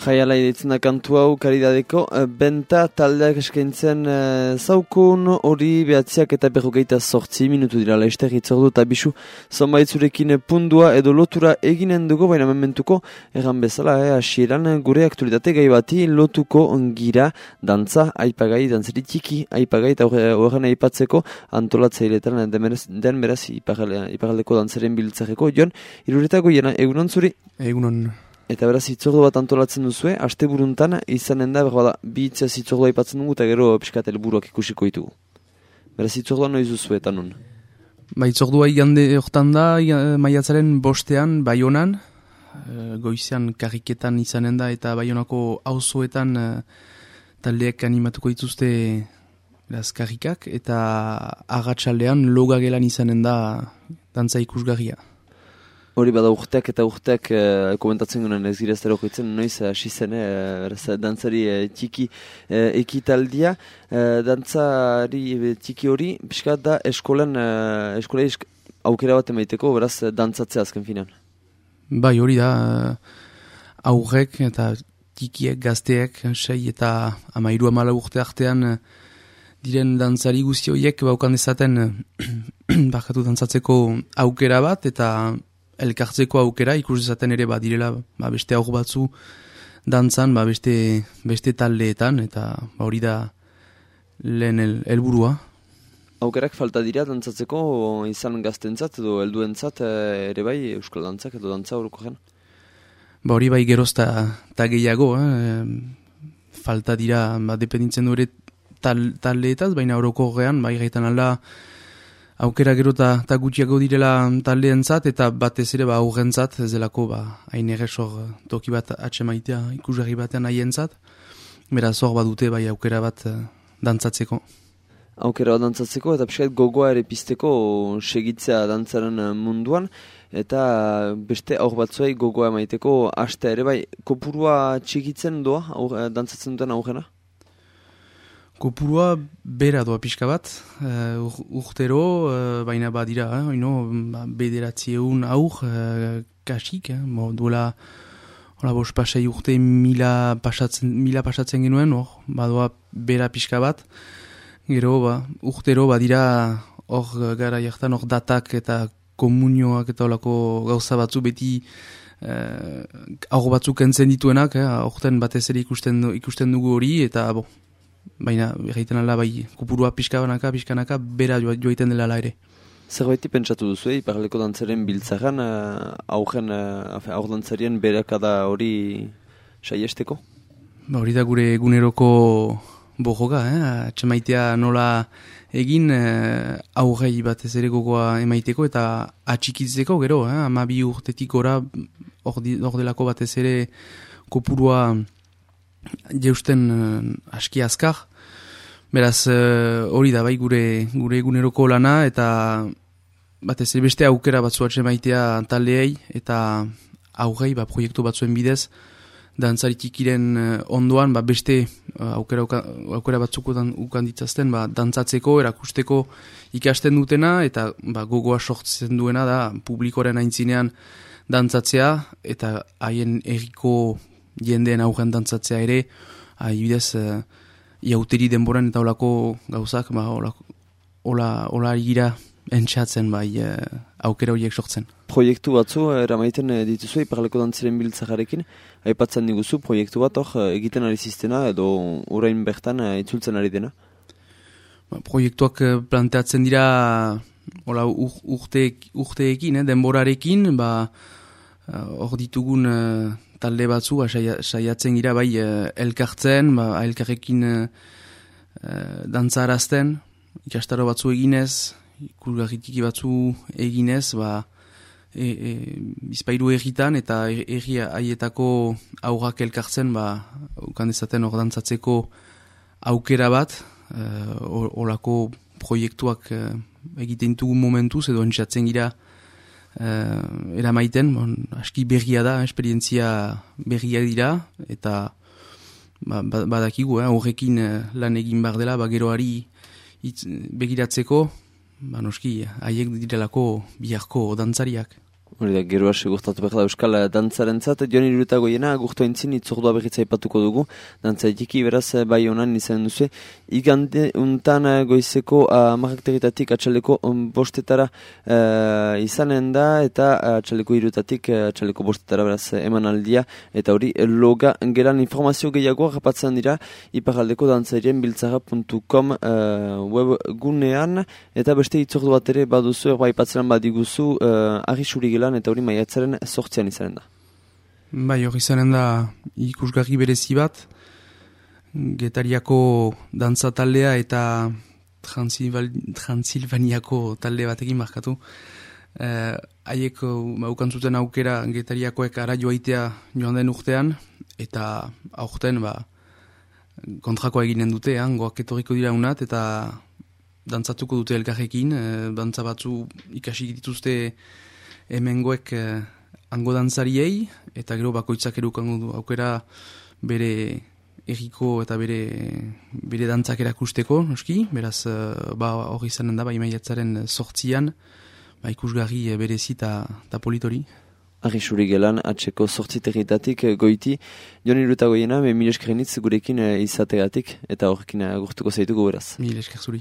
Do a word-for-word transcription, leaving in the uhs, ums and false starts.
Jaiala iditzen da kantu hau karidadeko, benta taldeak eskaintzen e, zaukun hori behatziak eta berrogeita sortzi minutu dira laizter itzordu eta bisu zonbaitzurekin pundua edo lotura eginen dugu, baina mementuko erran bezala, eh, asieran gure aktualitate gai bati lotuko gira dantza, aipagai, dantzeri txiki, aipagai eta horren aipatzeko antolatzaileetan den beraz iparaldeko dantzaren biltzareko. Jon, iruretako jena, egunon zuri? Egunon. Eta beraz, hitzordu bat antolatzen duzue, aste buruntan izanen da, berbada, bi hitzaz hitzordua aipatzen dugu, eta gero piskat helburuak ikusiko ditugu. Beraz, hitzordua noiz duzue, eta nun? Ba, hitzordua igande hortan da, maiatzaren bostean, Baionan, goizean karriketan izanen da, eta Baionako auzoetan taldeek animatuko dituzte beraz, karrikak, eta agatsaldean logagelan izanen da dantza ikusgarria. Hori bada urteak eta urteak e, komentatzen gunen ez gira ez dara okoitzen, noiz hasi zen, e, dantzari e, txiki e, ekitaldia. E, dantzari e, txiki hori, pixkat da eskolen, e, eskola esk, aukera bat emaiteko, beraz dantzatzea azken finan. Bai, hori da, aurrek eta txikiek, gazteek, sei eta amairu amala urte artean diren dantzari guzti horiek baukan dezaten bakatu dantzatzeko aukera bat, eta elkartzeko aukera ikus dezaten ere badirela ba, beste aur batzu dantzan, ba, beste, beste taldeetan, eta ba, hori da lehen helburua. Aukerak falta dira dantzatzeko izan gaztentzat edo helduentzat ere bai euskal dantzak edo dantza horoko gen? Ba, hori bai geroz eta gehiago, eh? Falta dira, ba, dependitzen du ere tal, taldeetaz, baina horoko gean, bai gaitan alda aukera gero eta gutxiago direla taldeentzat, eta batez ere ba aurrentzat, ez delako ba hain erresor toki bat atxemaitea ikusgarri batean haientzat. Beraz hor badute bai aukera bat dantzatzeko. Aukera bat dantzatzeko eta pixkat gogoa ere pizteko segitzea dantzaren munduan, eta beste aur batzuei gogoa emaiteko hastea ere bai. Kopurua txikitzen doa aur, dantzatzen duten aurrena? Kopurua bera doa pixka bat, uh, urtero, uh, baina badira, eh, oino, bederatzi egun aur, uh, kasik, eh, bo, duela, hola, bos pasai urte mila pasatzen, mila pasatzen genuen, hor, badoa bera pixka bat, gero, ba, urtero badira, hor gara jartan, hor datak eta komunioak eta holako gauza batzu beti, uh, aur batzuk entzen dituenak, eh, horten batez ere ikusten, ikusten dugu hori, eta, bo, baina egiten ala bai kupurua pixkanaka, pixkanaka, bera joaiten dela ala ere. Zerbaiti pentsatu duzu, iparaldeko dantzaren biltzaran, uh, aurren, uh, aur dantzarien berakada hori saiesteko? Ba, hori da gure eguneroko bojoka, eh? Atxemaitea nola egin uh, aurrei batez ere gogoa emaiteko eta atxikitzeko gero, eh? Ama bi urtetik gora hor delako batez ere kopurua jeusten uh, aski azkar. Beraz, hori uh, da bai gure gure eguneroko lana, eta batez ere beste aukera batzu atxemaitea taldeei, eta aurrei ba, proiektu batzuen bidez, dantzari txikiren uh, ondoan ba, beste uh, aukera, aukera batzuk ukan ditzazten ba, dantzatzeko, erakusteko ikasten dutena, eta ba, gogoa sortzen duena da publikoren aintzinean dantzatzea, eta haien erriko jendeen aurren dantzatzea ere, ahibidez, uh, iauteri denboran eta olako gauzak, ba, ola, ola gira entxatzen bai uh, aukera horiek sortzen. Proiektu batzu, eramaiten dituzu, iparleko dantzaren biltzajarekin, aipatzen diguzu, proiektu bat hor egiten ari ziztena, edo orain bertan uh, itzultzen ari dena? Ba, proiektuak planteatzen dira ola, ur, urte, urteekin, eh, denborarekin, ba, hor uh, ditugun uh, talde batzu, ba, saiatzen gira bai uh, elkartzen, ba, elkarrekin uh, dantzarazten, ikastaro batzu eginez, ikusgarritiki batzu eginez, ba, e, e, bizpairu erritan eta erri haietako aurrak elkartzen, ba, ukan dezaten hor dantzatzeko aukera bat, uh, olako proiektuak uh, egiten dugu momentuz, edo entzatzen gira Uh, eramaiten, bon, aski berria da, esperientzia berria dira, eta ba, badakigu, eh, horrekin uh, lan egin behar dela, ba, geroari itz, begiratzeko, ba, noski, haiek direlako biharko dantzariak. Hori da, geroa segurtatu behar da Euskal dantzaren zat. Jon Iruretagoiena, agurtu entzin, itzordua berritza ipatuko dugu. Dantzatiki, beraz, bai honan izan duzu. Igande untan goizeko amarrakteritatik atxaleko bostetara uh, izanen da, eta atxaleko irutatik atxaleko bostetara beraz emanaldia. Eta hori, loga geran informazio gehiagoa rapatzen dira, iparaldeko dantzarien biltzara puntu com uh, webgunean, eta beste itzordu bat ere baduzu, erba ipatzeran badiguzu, uh, arrisuri eta hori maiatzaren sortzean izanen da. Bai, hori izanen da ikusgarri berezi bat, Getariako dantza taldea eta Transilvaniako talde batekin markatu. Haiek eh, aukantzuten aukera Getariakoek ara joaitea joan den urtean, eta aurten ba, kontrakoa eginen dute, goak etorriko dira unat, eta dantzatuko dute elkarrekin, eh, dantza batzu ikasi dituzte hemengoek eh, hango dantzariei, eta gero bakoitzak erukango du aukera bere erriko eta bere, bere dantzak erakusteko, noski, beraz eh, ba, hori izanen da, ba, imaiatzaren sortzian, ba, ikusgarri eh, berezi eta politori. Arrisuri gelan, atxeko sortziterritatik goiti, Jon Iruretagoiena, me mil eskerenitz gurekin izategatik, eta horrekin agurtuko zaituko beraz. Mil esker zuri.